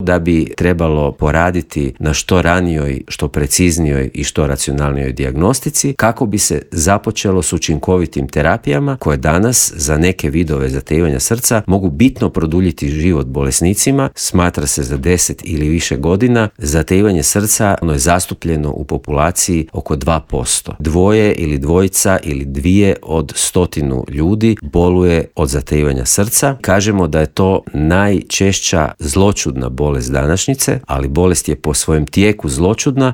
da bi trebalo poraditi na što ranijoj, što preciznijoj i što racionalnijoj dijagnostici kako bi se započelo s učinkovitim terapijama koje danas za neke vidove zatajivanja srca mogu bitno produljiti život bolesnicima. Smatra se za 10 ili više godina zatajivanje srca je zastupljeno u populaciji oko 2%. Dvoje ili dvojica ili dvije od 100 ljudi boluje od zatajivanja srca. Kažemo da je to najčešća zloćudna bolest današnjice, ali bolest je po svojem tijeku zloćudna